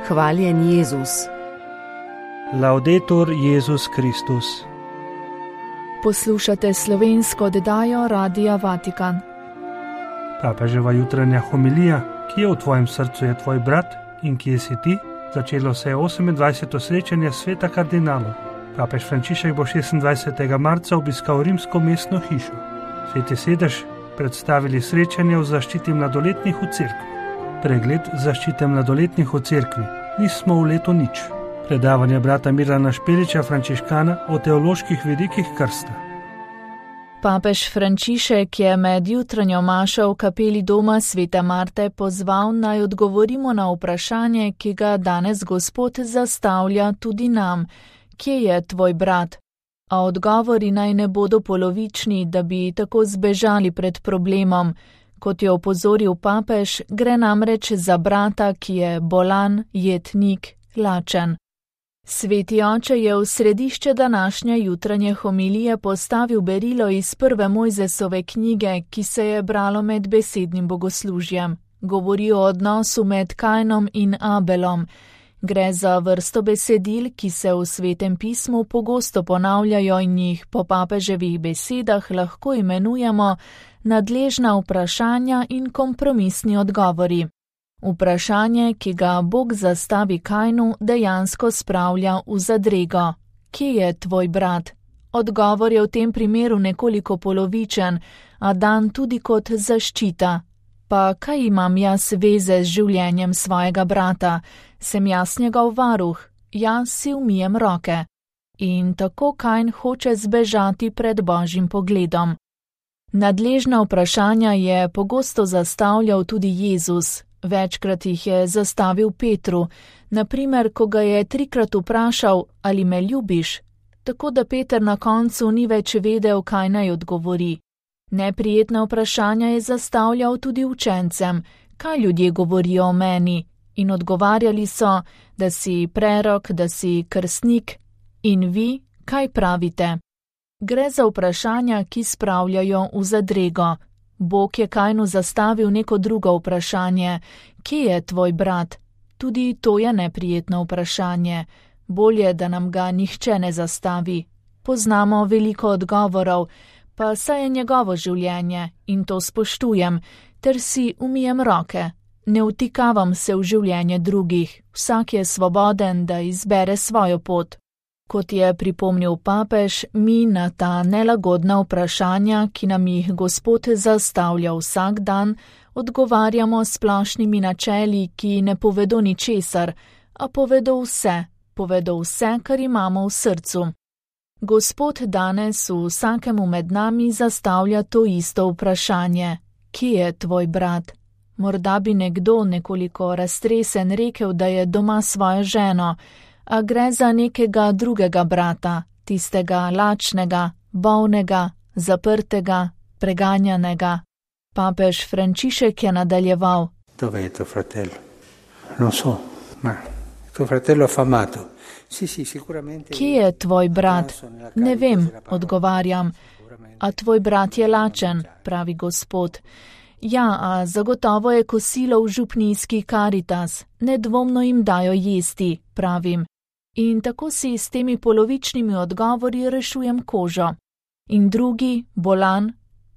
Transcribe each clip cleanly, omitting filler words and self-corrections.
Hvaljen Jezus. Laudetur Jezus Kristus. Poslušate slovensko oddajo Radia Vatikan. Papeževa jutranja homilija, ki je v tvojem srcu je tvoj brat in kje si ti, začelo se je 28. srečanje sveta kardinalov. Papež Frančišek bo 26. marca obiskal rimsko mestno hišo. Sveti sedež predstavili srečanje o zaščiti mladoletnih v cerkvi. Pregled zaščite mladoletnih v cerkvi. Nismo v letu nič. Predavanje brata Mirana Špeliča, frančiškana, o teoloških vidikih krsta. Papež Frančišek je med jutranjo mašo v kapeli doma Svete Marte pozval, naj odgovorimo na vprašanje, ki ga danes Gospod zastavlja tudi nam. Kje je tvoj brat? A odgovori naj ne bodo polovični, da bi tako zbežali pred problemom. Kot je opozoril papež, gre namreč za brata, ki je bolan, jetnik, lačen. Sveti oče je v središče današnje jutranje homilije postavil berilo iz prve Mojzesove knjige, ki se je bralo med besednim bogoslužjem. Govori o odnosu med Kainom in Abelom. Gre za vrsto besedil, ki se v Svetem pismu pogosto ponavljajo in jih po papeževih besedah lahko imenujemo nadležna vprašanja in kompromisni odgovori. Vprašanje, ki ga Bog zastavi Kainu, dejansko spravlja v zadrego. Kje je tvoj brat? Odgovor je v tem primeru nekoliko polovičen, a dan tudi kot zaščita. Pa kaj imam jaz veze z življenjem svojega brata? Sem jaz njegov varuh, jaz si umijem roke. In tako Kain hoče zbežati pred Božjim pogledom. Nadležna vprašanja je pogosto zastavljal tudi Jezus. Večkrat jih je zastavil Petru, naprimer, ko ga je 3-krat vprašal, ali me ljubiš, tako da Peter na koncu ni več vedel, kaj naj odgovori. Neprijetna vprašanja je zastavljal tudi učencem, kaj ljudje govorijo o meni, in odgovarjali so, da si prerok, da si krstnik, in vi, kaj pravite? Gre za vprašanja, ki spravljajo v zadrego. Bog je Kainu zastavil neko drugo vprašanje. Kje je tvoj brat? Tudi to je neprijetno vprašanje. Bolje, da nam ga nihče ne zastavi. Poznamo veliko odgovorov, pa saj je njegovo življenje in to spoštujem, ter si umijem roke. Ne vtikavam se v življenje drugih. Vsak je svoboden, da izbere svojo pot. Kot je pripomnil papež, mi na ta nelagodna vprašanja, ki nam jih Gospod zastavlja vsak dan, odgovarjamo s splošnimi načeli, ki ne povedo ničesar, a povedo vse, kar imamo v srcu. Gospod danes vsakemu med nami zastavlja to isto vprašanje. Kje je tvoj brat? Morda bi nekdo nekoliko raztresen rekel, da je doma svojo ženo, a gre za nekega drugega brata, tistega lačnega, bolnega, zaprtega, preganjanega. Papež Frančišek je nadaljeval. Dove je tuo fratello? Non so, ma tuo fratello affamato. Kje je tvoj brat? Ne vem, odgovarjam. A tvoj brat je lačen, pravi Gospod. Ja, a zagotovo je kosilo v župnijski Karitas. Nedvomno jim dajo jesti, pravim. In tako si s temi polovičnimi odgovori rešujem kožo. In drugi, bolan,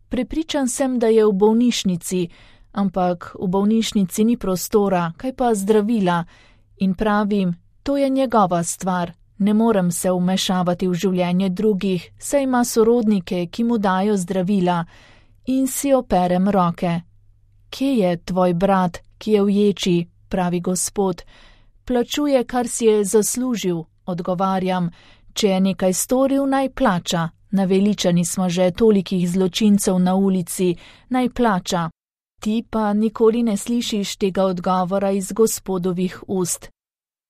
prepričan sem, da je v bolnišnici, ampak v bolnišnici ni prostora, kaj pa zdravila. In pravim, to je njegova stvar, ne morem se vmešavati v življenje drugih, saj ima sorodnike, ki mu dajo zdravila. In si operem roke. Kje je tvoj brat, ki je v ječi, pravi Gospod? Plačuje, kar si je zaslužil, odgovarjam. Če je nekaj storil, naj plača. Naveličani smo že tolikih zločincev na ulici, naj plača. Ti pa nikoli ne slišiš tega odgovora iz Gospodovih ust.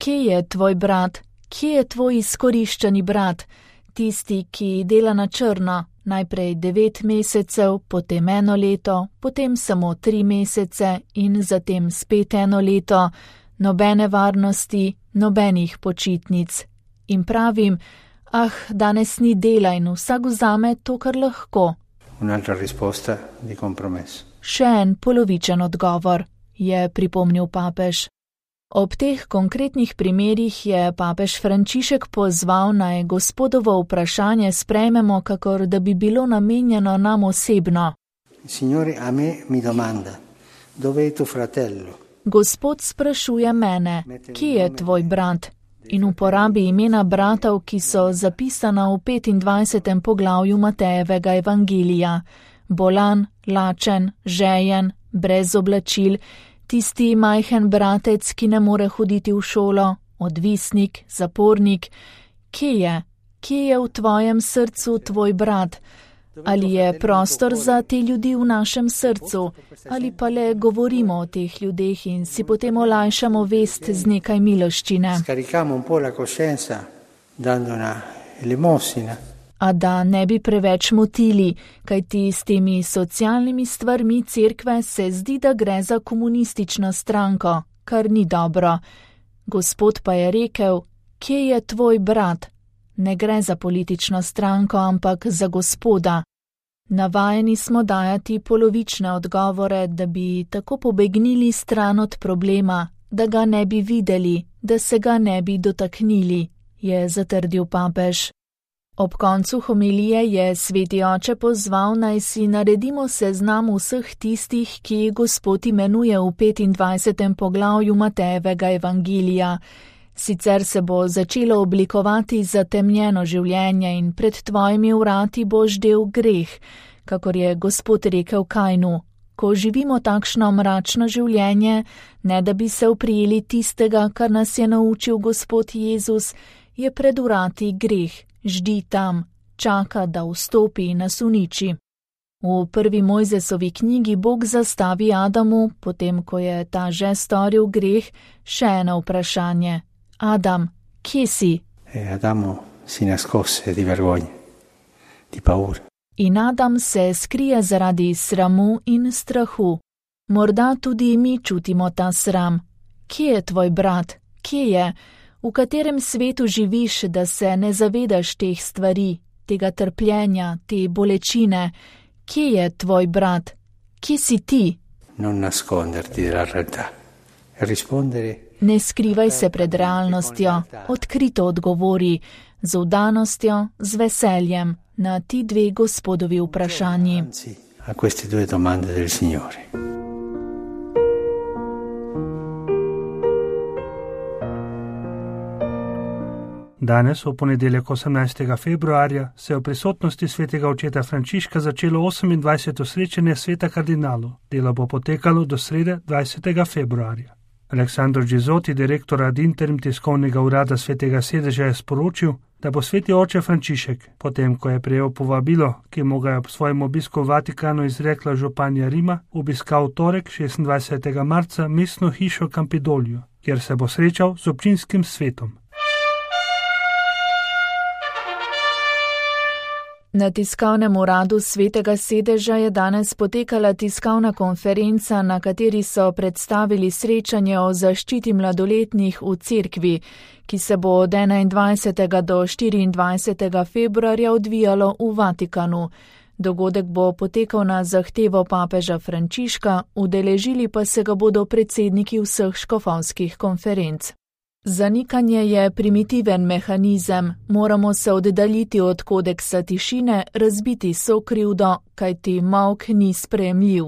Kje je tvoj brat? Kje je tvoj izkoriščeni brat? Tisti, ki dela na črno, najprej 9 mesecev, potem 1 leto, potem samo 3 mesece in zatem spet 1 leto, nobene varnosti, nobenih počitnic. In pravim, danes ni dela in vsak vzame to, kar lahko. Un'altra risposta di compromesso. Še en polovičen odgovor, je pripomnil papež. Ob teh konkretnih primerih je papež Frančišek pozval, naj Gospodovo vprašanje sprejmemo, kakor da bi bilo namenjeno nam osebno. Signore a me mi domanda, dove è tuo fratello? Gospod sprašuje mene, kje je tvoj brat? In uporabi imena bratov, ki so zapisana v 25. poglavju Matejevega evangelija. Bolan, lačen, žejen, brez oblačil, tisti majhen bratec, ki ne more hoditi v šolo, odvisnik, zapornik. Kje je? Kje je v tvojem srcu tvoj brat? Ali je prostor za te ljudi v našem srcu? Ali pa le govorimo o teh ljudeh in si potem olajšamo vest z nekaj miloščine? A da ne bi preveč motili, kajti s temi socialnimi stvarmi cerkve se zdi, da gre za komunistično stranko, kar ni dobro. Gospod pa je rekel, kje je tvoj brat? Ne gre za politično stranko, ampak za Gospoda. Navajeni smo dajati polovične odgovore, da bi tako pobegnili stran od problema, da ga ne bi videli, da se ga ne bi dotaknili, je zatrdil papež. Ob koncu homilije je sveti oče pozval, naj si naredimo seznam vseh tistih, ki jih Gospod imenuje v 25. poglavju Matejevega evangelija. Sicer se bo začelo oblikovati zatemnjeno življenje in pred tvojimi vrati bo ždel greh, kakor je Gospod rekel Kainu. Ko živimo takšno mračno življenje, ne da bi se oprijeli tistega, kar nas je naučil Gospod Jezus, je pred vrati greh, ždi tam, čaka, da vstopi in nas uniči. V prvi Mojzesovi knjigi Bog zastavi Adamu, potem ko je ta že storil greh, še eno vprašanje. Adam, kje si? Adamo si nascosse di vergogna, di paura. In Adam se skrije zaradi sramu in strahu. Morda tudi mi čutimo ta sram. Kje je tvoj brat? Kje je? V katerem svetu živiš, da se ne zavedaš teh stvari, tega trpljenja, te bolečine? Kje je tvoj brat? Kje si ti? Non nasconderti della realtà. Rispondere. Ne skrivaj se pred realnostjo, odkrito odgovori, z vdanostjo, z veseljem, na ti dve Gospodovi vprašanji. A queste due domande del Signore. Danes, v ponedeljek 18. februarja, se je v prisotnosti svetega očeta Frančiška začelo 28. srečanje sveta kardinalov. Delo bo potekalo do srede 20. februarja. Aleksandro Gizotti, direktor ad interim tiskovnega urada svetega sedeža, je sporočil, da bo sveti oče Frančišek, potem ko je prejel povabilo, ki mu ga je ob svojem obisku v Vatikanu izrekla županja Rima, obiskal v torek 26. marca mestno hišo Campidoglio, kjer se bo srečal z občinskim svetom. Na tiskovnem uradu svetega sedeža je danes potekala tiskovna konferenca, na kateri so predstavili srečanje o zaščiti mladoletnih v cerkvi, ki se bo od 21. do 24. februarja odvijalo v Vatikanu. Dogodek bo potekal na zahtevo papeža Frančiška, udeležili pa se ga bodo predsedniki vseh škofovskih konferenc. Zanikanje je primitiven mehanizem, moramo se oddaljiti od kodeksa tišine, razbiti sokrivdo, kajti molk ni sprejemljiv,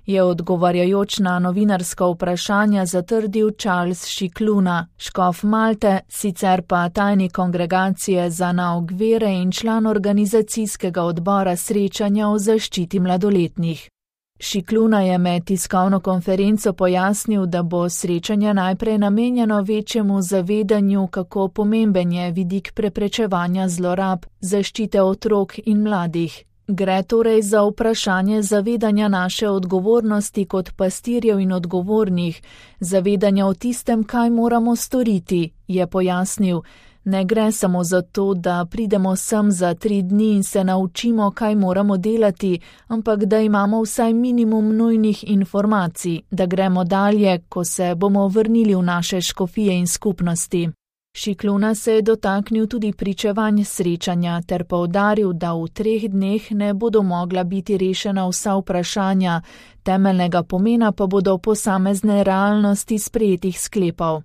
je odgovarjajoč na novinarska vprašanja zatrdil Charles Šikluna, škof Malte, sicer pa tajnik kongregacije za nauk vere in član organizacijskega odbora srečanja o zaščiti mladoletnih. Šikluna je med tiskovno konferenco pojasnil, da bo srečanje najprej namenjeno večjemu zavedanju, kako pomemben je vidik preprečevanja zlorab, zaščite otrok in mladih. Gre torej za vprašanje zavedanja naše odgovornosti kot pastirjev in odgovornih, zavedanja o tistem, kaj moramo storiti, je pojasnil. Ne gre samo za to, da pridemo sem za 3 dni in se naučimo, kaj moramo delati, ampak da imamo vsaj minimum nujnih informacij, da gremo dalje, ko se bomo vrnili v naše škofije in skupnosti. Šikluna se je dotaknil tudi pričevanj srečanja ter poudaril, da v 3 dneh ne bodo mogla biti rešena vsa vprašanja, temeljnega pomena pa bodo posamezne realnosti sprejetih sklepov.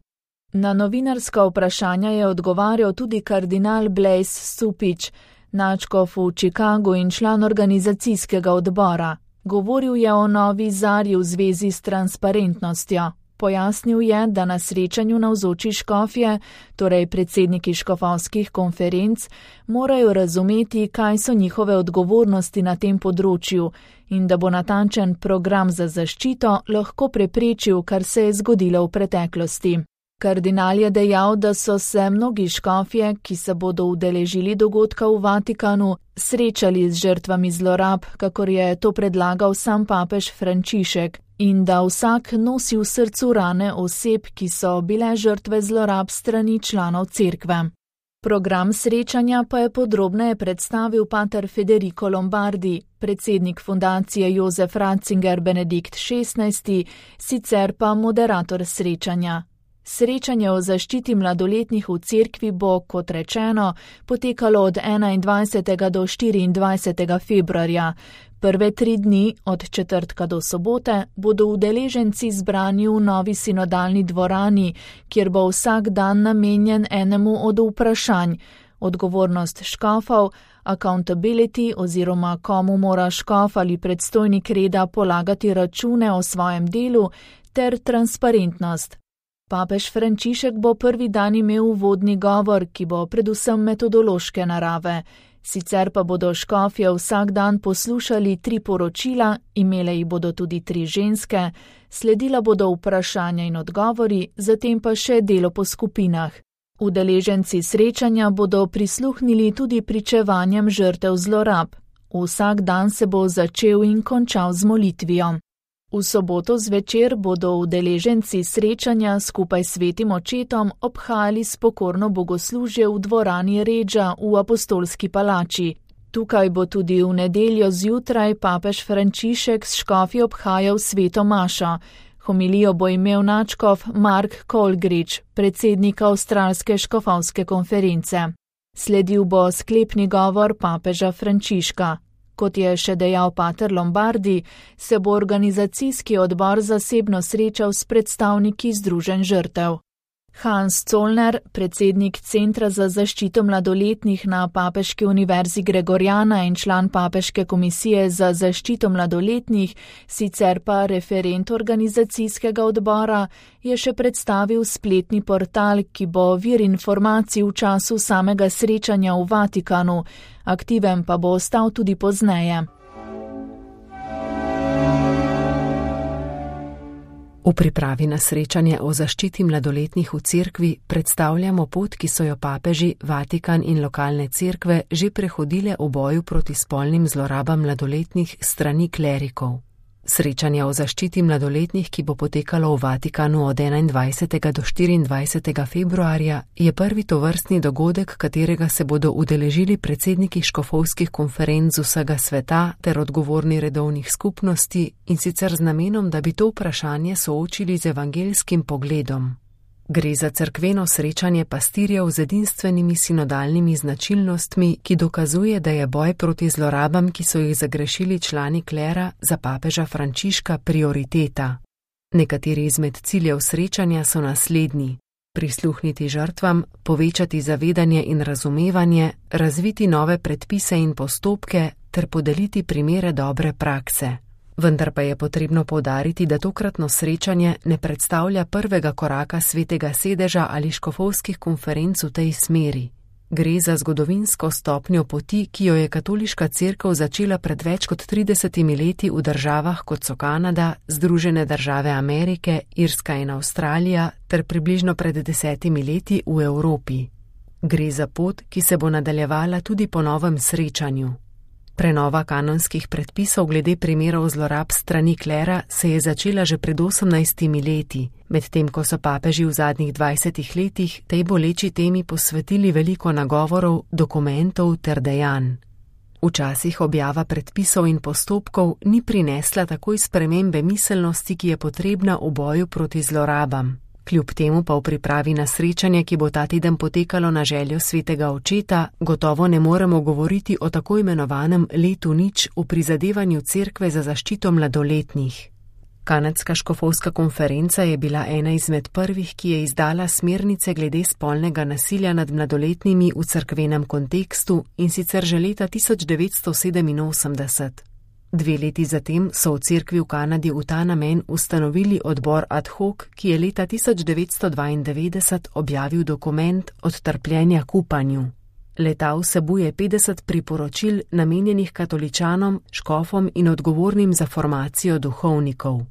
Na novinarska vprašanja je odgovarjal tudi kardinal Blaise Stupič, nadškof v Chicagu in član organizacijskega odbora. Govoril je o novi zarji v zvezi s transparentnostjo. Pojasnil je, da na srečanju navzoči škofje, torej predsedniki škofovskih konferenc, morajo razumeti, kaj so njihove odgovornosti na tem področju in da bo natančen program za zaščito lahko preprečil, kar se je zgodilo v preteklosti. Kardinal je dejal, da so se mnogi škofje, ki se bodo udeležili dogodka v Vatikanu, srečali z žrtvami zlorab, kakor je to predlagal sam papež Frančišek, in da vsak nosi v srcu rane oseb, ki so bile žrtve zlorab strani članov cerkve. Program srečanja pa je podrobneje predstavil pater Federico Lombardi, predsednik fundacije Josef Ratzinger Benedikt XVI, sicer pa moderator srečanja. Srečanje o zaščiti mladoletnih v cerkvi bo, kot rečeno, potekalo od 21. do 24. februarja. Prve 3 dni, od četrtka do sobote, bodo udeleženci zbrani v novi sinodalni dvorani, kjer bo vsak dan namenjen enemu od vprašanj: odgovornost škofov, accountability oziroma komu mora škof ali predstojnik reda polagati račune o svojem delu, ter transparentnost. Papež Frančišek bo prvi dan imel uvodni govor, ki bo predvsem metodološke narave. Sicer pa bodo škofje vsak dan poslušali 3 poročila, imele jih bodo tudi 3 ženske, sledila bodo vprašanja in odgovori, zatem pa še delo po skupinah. Udeleženci srečanja bodo prisluhnili tudi pričevanjem žrtev zlorab. Vsak dan se bo začel in končal z molitvijo. V soboto zvečer bodo udeleženci srečanja skupaj s svetim očetom obhajali spokorno bogoslužje v dvorani Reggia v Apostolski palači. Tukaj bo tudi v nedeljo zjutraj papež Frančišek s škofi obhajal sveto mašo. Homilijo bo imel nadškof Mark Colgridge, predsednik Avstralske škofovske konference. Sledil bo sklepni govor papeža Frančiška. Kot je še dejal pater Lombardi, se bo organizacijski odbor zasebno srečal s predstavniki združenj žrtev. Hans Zollner, predsednik Centra za zaščito mladoletnih na Papeški univerzi Gregoriana in član Papeške komisije za zaščito mladoletnih, sicer pa referent organizacijskega odbora, je še predstavil spletni portal, ki bo vir informacij v času samega srečanja v Vatikanu, aktiven pa bo ostal tudi pozneje. V pripravi na srečanje o zaščiti mladoletnih v cerkvi predstavljamo pot, ki so jo papeži, Vatikan in lokalne cerkve že prehodile v boju proti spolnim zlorabam mladoletnih strani klerikov. Srečanje o zaščiti mladoletnih, ki bo potekalo v Vatikanu od 21. do 24. februarja, je prvi tovrstni dogodek, katerega se bodo udeležili predsedniki škofovskih konferenc vsega sveta ter odgovorni redovnih skupnosti, in sicer z namenom, da bi to vprašanje soočili z evangelskim pogledom. Gre za cerkveno srečanje pastirjev z edinstvenimi sinodalnimi značilnostmi, ki dokazuje, da je boj proti zlorabam, ki so jih zagrešili člani klera, za papeža Frančiška prioriteta. Nekateri izmed ciljev srečanja so naslednji: prisluhniti žrtvam, povečati zavedanje in razumevanje, razviti nove predpise in postopke ter podeliti primere dobre prakse. Vendar pa je potrebno poudariti, da tokratno srečanje ne predstavlja prvega koraka svetega sedeža ali škofovskih konferenc v tej smeri. Gre za zgodovinsko stopnjo poti, ki jo je katoliška cerkev začela pred več kot 30 leti v državah, kot so Kanada, Združene države Amerike, Irska in Avstralija, ter približno pred 10 leti v Evropi. Gre za pot, ki se bo nadaljevala tudi po novem srečanju. Prenova kanonskih predpisov glede primerov zlorab strani klera se je začela že pred 18 leti, medtem ko so papeži v zadnjih 20 letih tej boleči temi posvetili veliko nagovorov, dokumentov ter dejanj. Včasih objava predpisov in postopkov ni prinesla takoj spremembe miselnosti, ki je potrebna v boju proti zlorabam. Kljub temu pa v pripravi na srečanje, ki bo ta teden potekalo na željo svetega očeta, gotovo ne moremo govoriti o tako imenovanem letu nič v prizadevanju cerkve za zaščito mladoletnih. Kanadska škofovska konferenca je bila ena izmed prvih, ki je izdala smernice glede spolnega nasilja nad mladoletnimi v cerkvenem kontekstu, in sicer že leta 1987. 2 leti zatem so v cerkvi v Kanadi v ta namen ustanovili odbor ad hoc, ki je leta 1992 objavil dokument Od trpljenja k upanju. Le-ta vsebuje 50 priporočil namenjenih katoličanom, škofom in odgovornim za formacijo duhovnikov.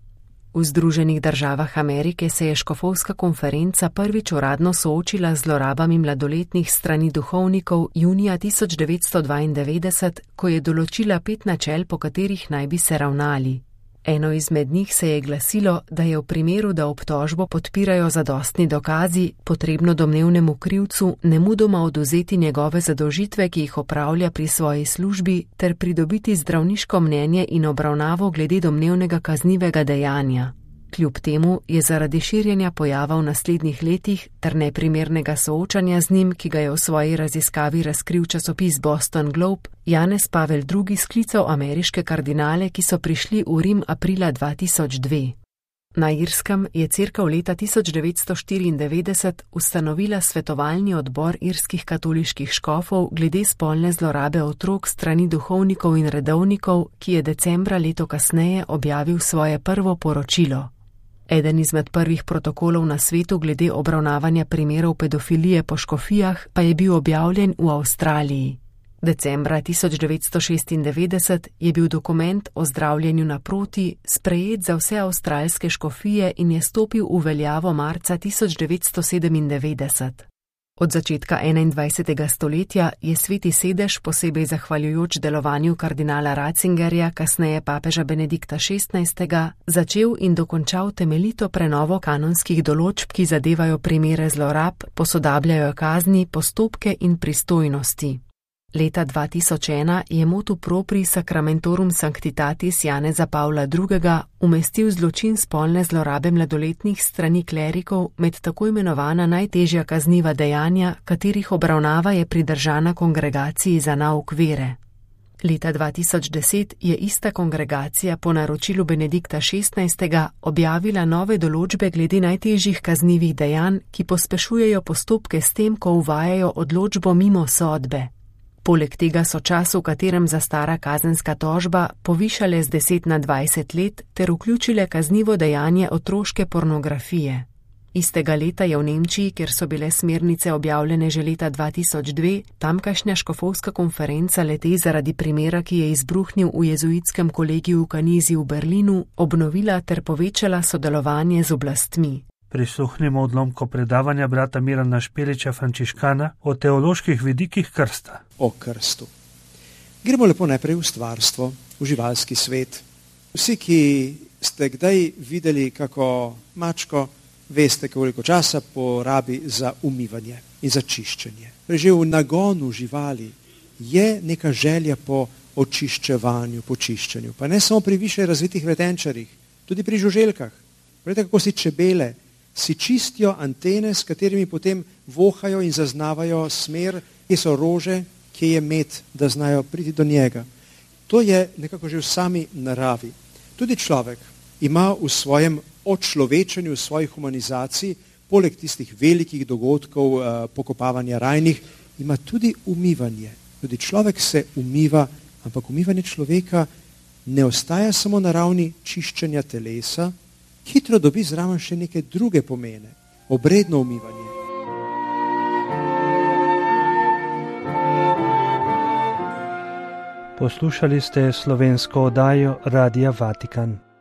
V Združenih državah Amerike se je škofovska konferenca prvič uradno soočila z zlorabami mladoletnih strani duhovnikov junija 1992, ko je določila 5 načel, po katerih naj bi se ravnali. Eno izmed njih se je glasilo, da je v primeru, da obtožbo podpirajo zadostni dokazi, potrebno domnevnemu krivcu nemudoma odvzeti njegove zadolžitve, ki jih opravlja pri svoji službi, ter pridobiti zdravniško mnenje in obravnavo glede domnevnega kaznivega dejanja. Kljub temu je zaradi širjenja pojava v naslednjih letih ter neprimernega soočanja z njim, ki ga je v svoji raziskavi razkril časopis Boston Globe, Janez Pavel II. Sklical ameriške kardinale, ki so prišli v Rim aprila 2002. Na Irskem je cerkev leta 1994 ustanovila svetovalni odbor irskih katoliških škofov glede spolne zlorabe otrok strani duhovnikov in redovnikov, ki je decembra leto kasneje objavil svoje prvo poročilo. Eden izmed prvih protokolov na svetu glede obravnavanja primerov pedofilije po škofijah pa je bil objavljen v Avstraliji. Decembra 1996 je bil dokument o zdravljenju naproti sprejet za vse avstralske škofije in je stopil v veljavo marca 1997. Od začetka 21. stoletja je Sveti sedež, posebej zahvaljujoč delovanju kardinala Ratzingerja, kasneje papeža Benedikta XVI., začel in dokončal temeljito prenovo kanonskih določb, ki zadevajo primere zlorab, posodabljajo kazni, postopke in pristojnosti. Leta 2001 je motu propri Sacramentorum Sanctitatis Janeza Pavla II. Umestil zločin spolne zlorabe mladoletnih strani klerikov med tako imenovana najtežja kazniva dejanja, katerih obravnava je pridržana kongregaciji za nauk vere. Leta 2010 je ista kongregacija po naročilu Benedikta XVI. Objavila nove določbe glede najtežjih kaznivih dejanj, ki pospešujejo postopke s tem, ko uvajajo odločbo mimo sodbe. Poleg tega so čas, v katerem zastara kazenska tožba, povišale z 10 na 20 let ter vključile kaznivo dejanje otroške pornografije. Istega leta je v Nemčiji, kjer so bile smernice objavljene že leta 2002, tamkajšnja škofovska konferenca le-te zaradi primera, ki je izbruhnil v jezuitskem kolegiju v Kanizi v Berlinu, obnovila ter povečala sodelovanje z oblastmi. Prisluhnimo odlomko predavanja brata Mirana Špeliča, frančiškana, o teoloških vidikih krsta. O krstu. Gremo lepo najprej v stvarstvo, v živalski svet. Vsi, ki ste kdaj videli kako mačko, veste, koliko časa porabi za umivanje in za čiščenje. Že v nagonu živali je neka želja po očiščevanju, po čiščenju. Pa ne samo pri više razvitih vretenčarjih, tudi pri žuželkah. Vidite, kako si čebele si čistijo antene, s katerimi potem vohajo in zaznavajo smer, kje so rože, kje je med, da znajo priti do njega. To je nekako že v sami naravi. Tudi človek ima v svojem očlovečenju, v svoji humanizaciji, poleg tistih velikih dogodkov, pokopavanja rajnih, ima tudi umivanje. Tudi človek se umiva, ampak umivanje človeka ne ostaja samo na ravni čiščenja telesa, hitro dobi zraven še neke druge pomene, obredno umivanje. Poslušali ste slovensko oddajo Radia Vatikan.